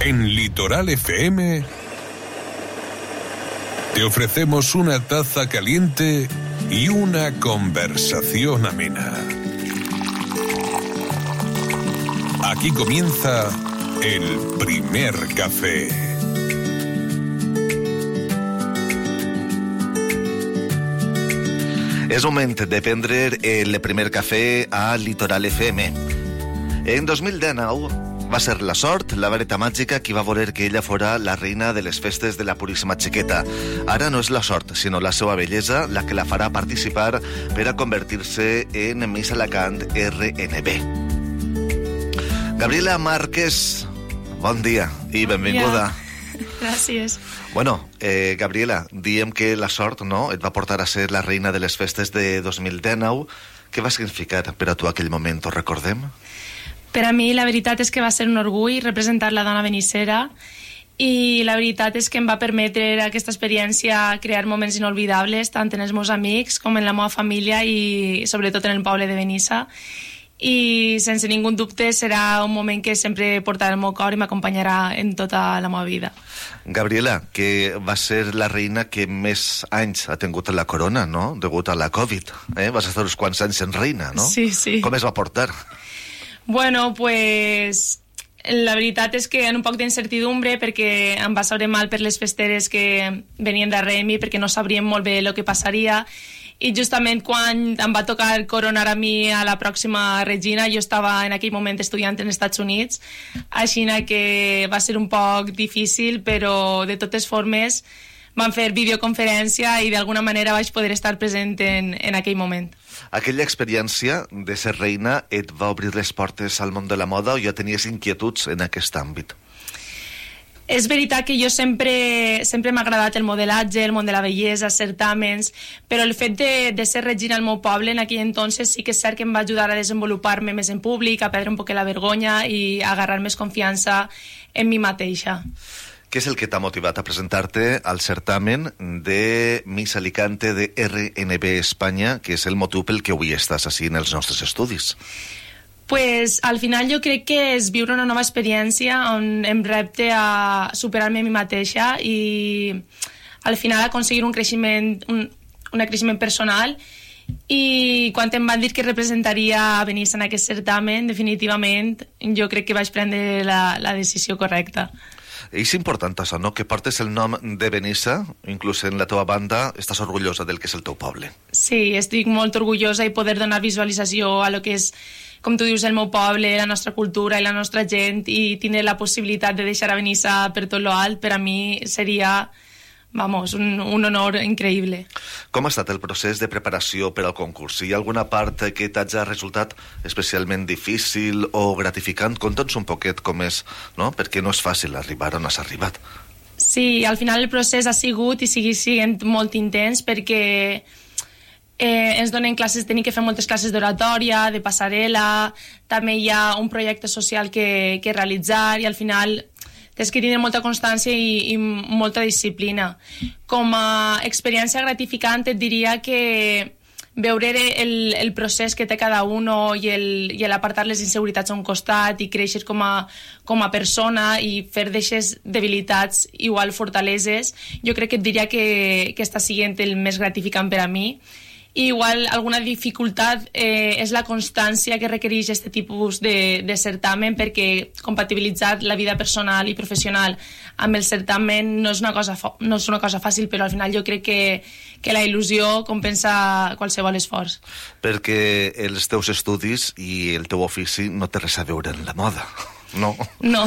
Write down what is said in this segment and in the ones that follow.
En Litoral FM te ofrecemos una taza caliente y una conversación amena. Aquí comienza el primer café. És moment de prendre el primer cafè a Litoral FM. En 2019 va ser la sort, la vareta màgica, qui va voler que ella fora la reina de les festes de la Puríssima Xiqueta. Ara no és la sort, sinó la seva bellesa la que la farà participar per a convertir-se en Miss Alacant RNB. Gabriela Márquez, bon dia i benvinguda. Gràcies. Bueno, Gabriela, diem que la sort, no?, et va portar a ser la reina de les festes de 2019. Què va significar per a tu aquell moment, ho recordem? Per a mi la veritat és que va ser un orgull representar la dona benissera i la veritat és que em va permetre aquesta experiència crear moments inolvidables tant en els meus amics com en la meva família i sobretot en el poble de Benissa. I sense ningú dubte serà un moment que sempre portarà el meu cor i m'acompanyarà en tota la meva vida. Gabriela, que va ser la reina que més anys ha tingut la corona, no?, degut a la Covid. Vas estar uns quants anys en reina, no? Sí, sí. Com es va portar? Bueno, pues la veritat és que en un poc d'incertidumbre perquè em va saber mal per les festeres que venien darrere mi perquè no sabríem molt bé el que passaria i justament quan em va tocar coronar a mi a la pròxima regina jo estava en aquell moment estudiant en Estats Units, així que va ser un poc difícil, però de totes formes vam fer videoconferència i d'alguna manera vaig poder estar present en aquell moment. Aquella experiència de ser reina et va obrir les portes al món de la moda o ja tenies inquietuds en aquest àmbit? És veritat que jo sempre m'ha agradat el modelatge, el món de la bellesa, certàmens, però el fet de ser regina al meu poble en aquell entonces sí que és cert que em va ajudar a desenvolupar-me més en públic, a perdre un poc la vergonya i a agarrar més confiança en mi mateixa. Què és el que t'ha motivat a presentar-te al certamen de Miss Alicante de RNB Espanya, que és el motiu pel que avui estàs així en els nostres estudis? Pues al final jo crec que és viure una nova experiència on em repte a superar-me a mi mateixa i al final aconseguir un creixement personal. I quan em van dir que representaria a Benissa en aquest certamen, definitivament jo crec que vaig prendre la decisió correcta. És important això, no?, que portes el nom de Benissa, inclús en la teva banda, estàs orgullosa del que és el teu poble. Sí, estic molt orgullosa i poder donar visualització a lo que és, com tu dius, el meu poble, la nostra cultura i la nostra gent i tindre la possibilitat de deixar a Benissa per tot lo alt, per a mi seria, un honor increïble. Com ha estat el procés de preparació per al concurs? Hi ha alguna part que t'hagi resultat especialment difícil o gratificant? Conta'ns un poquet com és, no?, perquè no és fàcil arribar on has arribat. Sí, al final el procés ha sigut i sigue sent molt intens perquè ens donen classes, tenim que fer moltes classes d'oratòria, de passarel·la, també hi ha un projecte social que realitzar i al final tens que tenir molta constància i molta disciplina. Com a experiència gratificant et diria que veure el procés que té cada un i l'apartar les inseguretats a un costat i créixer com a persona i fer d'aixes debilitats igual fortaleses, jo crec que et diria que està sent el més gratificant per a mi. I igual alguna dificultat és la constància que requereix aquest tipus de certamen perquè compatibilitzar la vida personal i professional amb el certamen no és una cosa fàcil, però al final jo crec que la il·lusió compensa qualsevol esforç. Perquè els teus estudis i el teu ofici no té res a veure en la moda, no? No.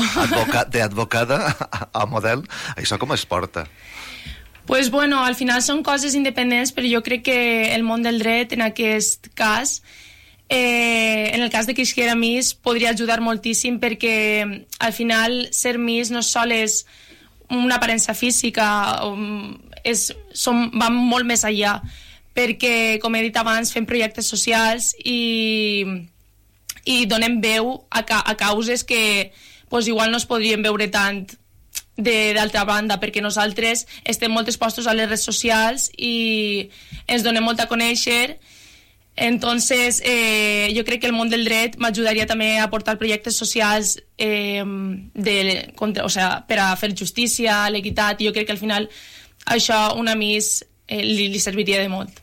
D'advocada a model, això com es porta? Pues bueno, al final són coses independents, però jo crec que el món del dret, en aquest cas, en el cas de que isquera Miss, podria ajudar moltíssim perquè al final ser Miss no sols és una aparença física, van molt més allà, perquè, com he dit abans, fem projectes socials i donem veu a causes que igual no es podrien veure tant d'altra banda, perquè nosaltres estem molt expostos a les redes socials i ens donem molt a conèixer Entonces, jo crec que el món del dret m'ajudaria també a portar projectes socials per a fer justícia, l'equitat, i jo crec que al final això una més li serviria de molt.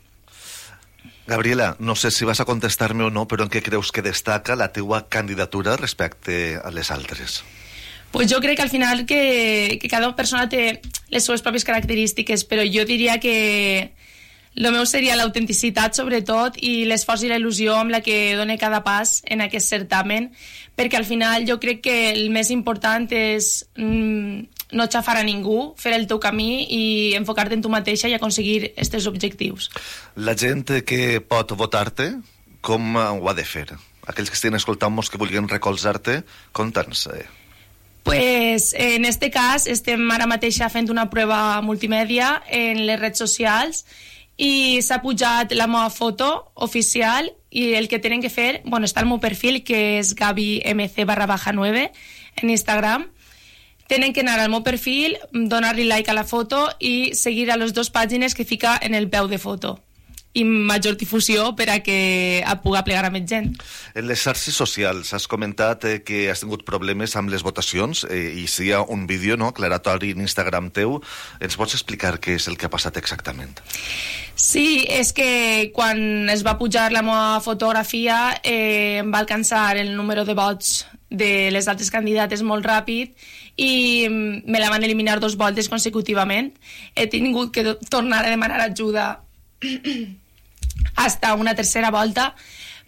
Gabriela, no sé si vas a contestar-me o no, però en què creus que destaca la teua candidatura respecte a les altres? Pues jo crec que al final que cada persona té les seves pròpies característiques, però jo diria que el meu seria l'autenticitat, sobretot, i l'esforç i la il·lusió amb la que dona cada pas en aquest certamen, perquè al final jo crec que el més important és no xafar a ningú, fer el teu camí i enfocar-te en tu mateixa i aconseguir aquests objectius. La gent que pot votar-te, com ho ha de fer? Aquells que estiguin escoltant-nos que vulguin recolzar-te, conta'ns. Pues en este cas estem ara mateixa fent una prova multimèdia en les redes socials i s'ha pujat la meva foto oficial i el que tenen que fer, està al meu perfil, que és gabimc_9 en Instagram. Tenen que anar al meu perfil, donar-li like a la foto i seguir a les 2 pàgines que fica en el peu de foto. I major difusió per a que pugui plegar a més gent. En les xarxes socials has comentat que has tingut problemes amb les votacions i si hi ha un vídeo aclaratori en Instagram teu. Ens pots explicar què és el que ha passat exactament? Sí, és que quan es va pujar la meva fotografia em va alcançar el número de vots de les altres candidates molt ràpid i me la van eliminar 2 voltes consecutivament. He tingut que tornar a demanar ajuda hasta una tercera volta,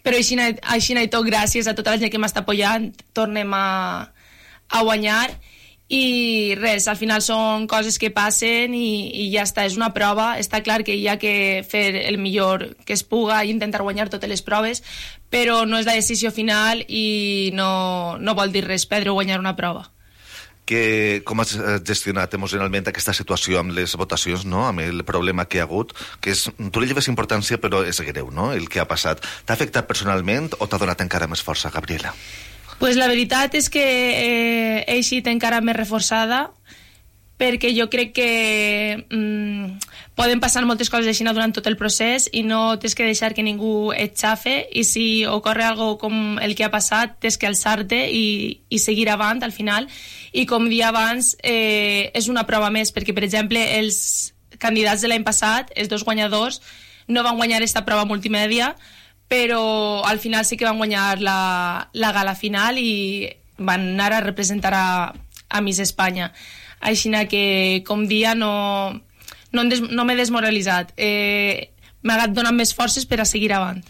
però així i tot, gràcies a tota la gent que m'està apoyant, tornem a guanyar. I res, al final són coses que passen i ja està, és una prova. Està clar que hi ha que fer el millor que es puga i intentar guanyar totes les proves, però no és la decisió final i no vol dir res perdre o guanyar una prova. Com has gestionat emocionalment aquesta situació amb les votacions, amb el problema que hi ha hagut, que tu li lleves importància però és greu, el que ha passat. T'ha afectat personalment o t'ha donat encara més força, Gabriela? Pues la veritat és que he eixit encara més reforçada, perquè jo crec que poden passar moltes coses així durant tot el procés i no tens que deixar que ningú et xafe, i si ocorre algo com el que ha passat tens que alçar-te i seguir avant al final. I com dia abans, és una prova més, perquè per exemple els candidats de l'any passat, els 2 guanyadors, no van guanyar aquesta prova multimèdia, però al final sí que van guanyar la gala final i van anar a representar a Miss Espanya. Així que com dia no m'he desmoralitzat, m'ha anat donant més forces per a seguir avant.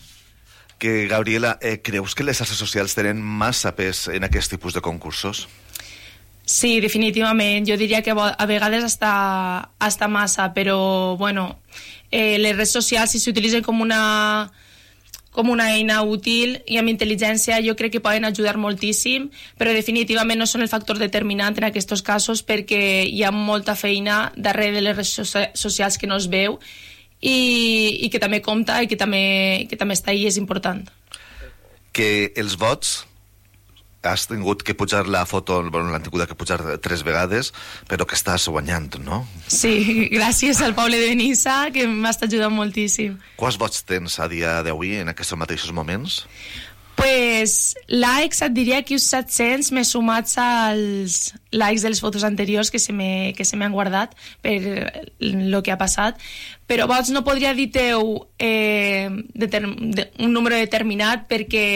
Gabriela, creus que les xarxes socials tenen massa pes en aquest tipus de concursos? Sí, definitivament, jo diria que a vegades hasta massa, però les redes socials, si s'utilitzen com una eina útil i amb intel·ligència, jo crec que poden ajudar moltíssim, però definitivament no són el factor determinant en aquests casos, perquè hi ha molta feina darrere de les redes socials que no es veu i que també compta i que també està ahí, és important. Que els vots has tingut que pujar la foto, l'han tingut que pujar 3 vegades, però que estàs guanyant, no? Sí, gràcies al poble de Benissa, que m'està ajudant moltíssim. Quants vots tens a dia d'avui en aquests mateixos moments? Pues likes et diria que uns 700 més sumats als likes de les fotos anteriors que se m'han guardat per el que ha passat, però vots no podria dir-teu un número determinat, perquè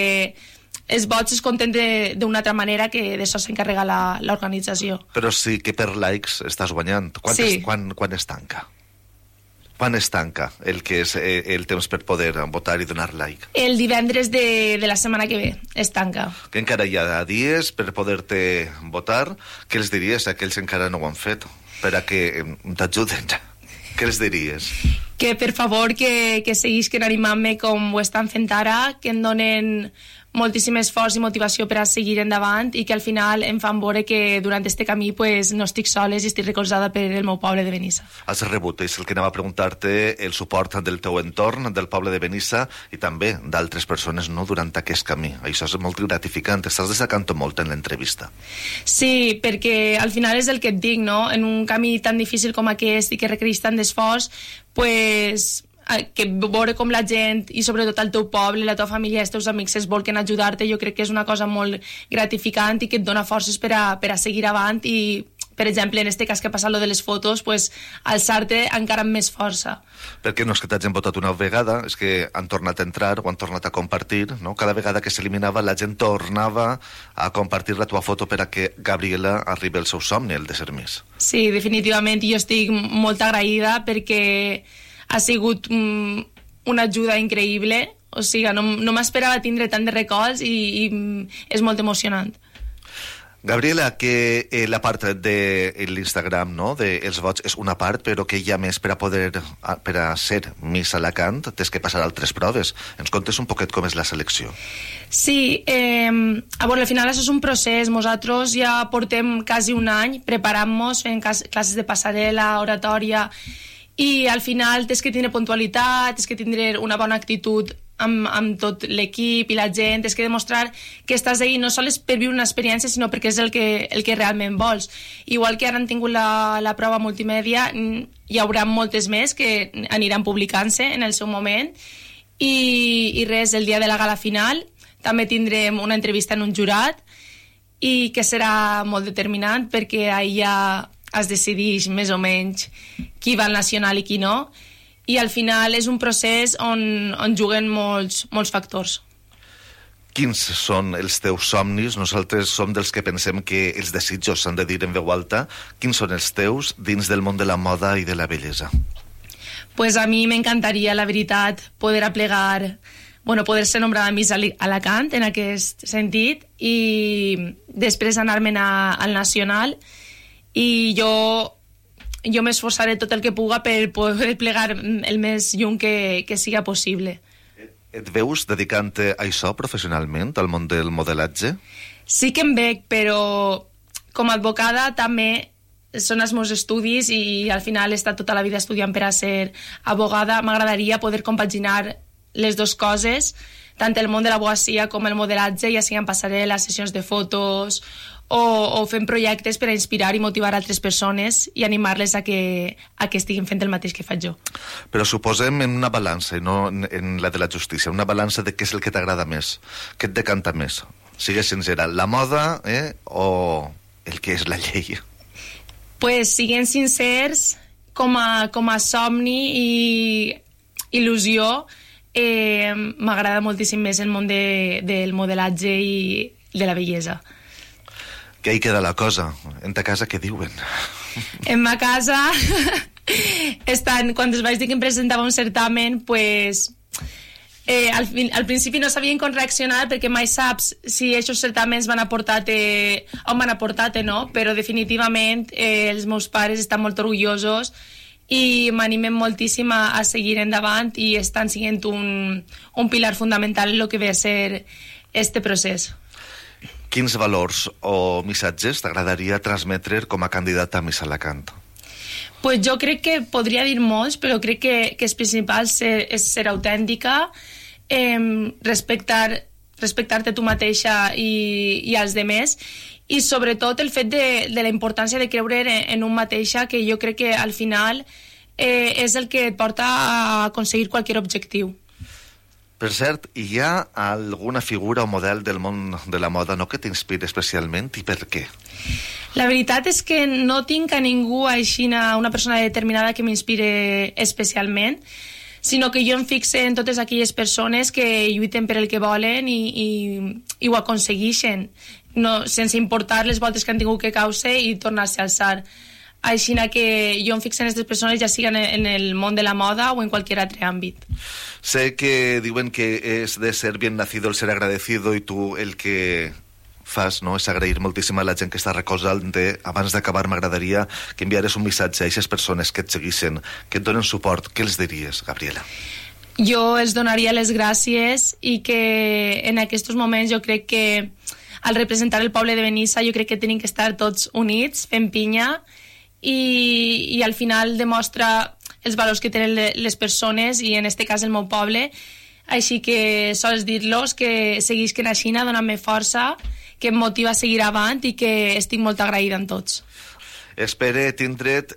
els vots es compten d'una altra manera, que d'això s'encarrega l'organització. Però sí que per likes estàs guanyant. Sí. Quan es tanca? Quan es tanca el que és el temps per poder votar i donar like? El divendres de la setmana que ve es tanca. Que encara hi ha dies per poder-te votar. Què els diries a aquells que encara no ho han fet? Per a que t'ajuden. Què els diries? Que per favor que seguisquen animant-me com ho estan fent ara, que em donen moltíssim esforç i motivació per a seguir endavant i que al final em fan veure que durant este camí no estic soles i estic recolzada per el meu poble de Benissa. Has rebut, és el que anava a preguntar-te, el suport del teu entorn, del poble de Benissa i també d'altres persones durant aquest camí. Això és molt gratificant, estàs destacant molt en l'entrevista. Sí, perquè al final és el que et dic, no? En un camí tan difícil com aquest i que requereix tant d'esforç, que veure com la gent i sobretot el teu poble, la teva família, els teus amics es volquen a ajudar-te, jo crec que és una cosa molt gratificant i que et dona forces per a seguir avant i, per exemple, en este cas que ha passat lo de les fotos, pues, alçar-te encara amb més força. Perquè no és que t'hagin votat una vegada, és que han tornat a entrar o han tornat a compartir, no? Cada vegada que s'eliminava la gent tornava a compartir la teva foto per a que Gabriela arribi al seu somni, el de ser Miss. Sí, definitivament, jo estic molt agraïda perquè ha sigut una ajuda increïble, o sigui, no m'esperava tindre tant de records i és molt emocionant. Gabriela, que la part de l'Instagram, no?, dels vots és una part, però que hi ha més per a ser Miss Alacant, tens que passar altres proves. Ens contes un poquet com és la selecció? Sí, al final això és un procés. Nosaltres ja portem quasi un any preparant-nos, fent classes de passarel·la, oratòria, i al final tens que tindre puntualitat, tens que tindre una bona actitud amb tot l'equip i la gent, tens que demostrar que estàs ahí no sols per viure una experiència, sinó perquè és el que realment vols. Igual que ara han tingut la prova multimèdia, hi haurà moltes més que aniran publicant-se en el seu moment, i res, el dia de la gala final també tindrem una entrevista en un jurat i que serà molt determinant perquè allà es decideix més o menys qui va al nacional i qui no, i al final és un procés on juguen molts factors. Quins són els teus somnis? Nosaltres som dels que pensem que els desitjos s'han de dir en veu alta. Quins són els teus dins del món de la moda i de la bellesa? Pues a mi m'encantaria, la veritat, poder aplegar, poder ser nombrada Miss Alacant en aquest sentit i després anar-me'n al nacional, i jo m'esforçaré tot el que puga per poder plegar el més lluny que siga possible. Et veus dedicant-te a això professionalment, al món del modelatge? Sí que em veig, però com a advocada també són els meus estudis i al final he estat tota la vida estudiant per a ser abogada. M'agradaria poder compaginar les dues coses, tant el món de l'advocacia com el modelatge, ja siguin passarel·les, sessions de fotos o fent projectes per a inspirar i motivar altres persones i animar-les a que estiguin fent el mateix que faig jo. Però suposem en una balança, i no en la de la justícia, una balança de què és el que t'agrada més, què et decanta més. Sigues sincera, la moda o el que és la llei? Pues siguent sincers, com a somni i il·lusió, m'agrada moltíssim més el món del modelatge i de la bellesa. Que ahí queda la cosa. En ta casa què diuen? En ma casa quan es vaig dir que em presentava un certamen, pues al principi no sabien com reaccionar perquè mai saps si aquests certaments van aportar-te on van aportar-te, no? Però definitivament els meus pares estan molt orgullosos i m'animen moltíssim a seguir endavant i estan sent un pilar fundamental en el que ve a ser este procés. Quins valors o missatges t'agradaria transmetre com a candidata a Miss Alacant? Pues jo crec que podria dir molts, però crec que el principal és ser autèntica, respectar-te tu mateixa i als demés, i sobretot el fet de la importància de creure en un mateixa, que jo crec que al final és el que et porta a aconseguir qualsevol objectiu. Per cert, hi ha alguna figura o model del món de la moda que t'inspiri especialment i per què? La veritat és que no tinc a ningú així, una persona determinada que m'inspire especialment, sinó que jo em fixe en totes aquelles persones que lluiten per el que volen i ho aconsegueixen, sense importar les voltes que han tingut que causa i tornar-se a alçar. Així que jo em fixo en aquestes persones, ja siguin en el món de la moda o en qualsevol altre àmbit. Sé que diuen que és de ser bien nacido el ser agradecido, i tu el que fas, no?, és agrair moltíssim a la gent que està recolzant-te. Abans d'acabar, m'agradaria que enviares un missatge a aquestes persones que et segueixen, que et donen suport. Què els diries, Gabriela? Jo els donaria les gràcies i que en aquests moments jo crec que al representar el poble de Benissa jo crec que tenim que estar tots units, fent pinya, i al final demostra els valors que tenen les persones i en este cas el meu poble, així que sols dir-los que seguisquen a Xina donant-me força, que em motiva a seguir avant i que estic molt agraïda amb tots. Espere tindre't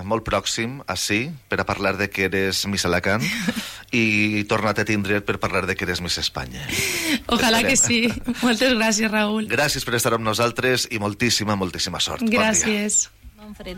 molt pròxim així per a parlar de que eres Miss Alacant i tornar-te a tindre't per parlar de que eres Miss Espanya. Ojalà que sí. Moltes gràcies, Raül. Gràcies per estar amb nosaltres i moltíssima, moltíssima sort. Gràcies. Bon dia.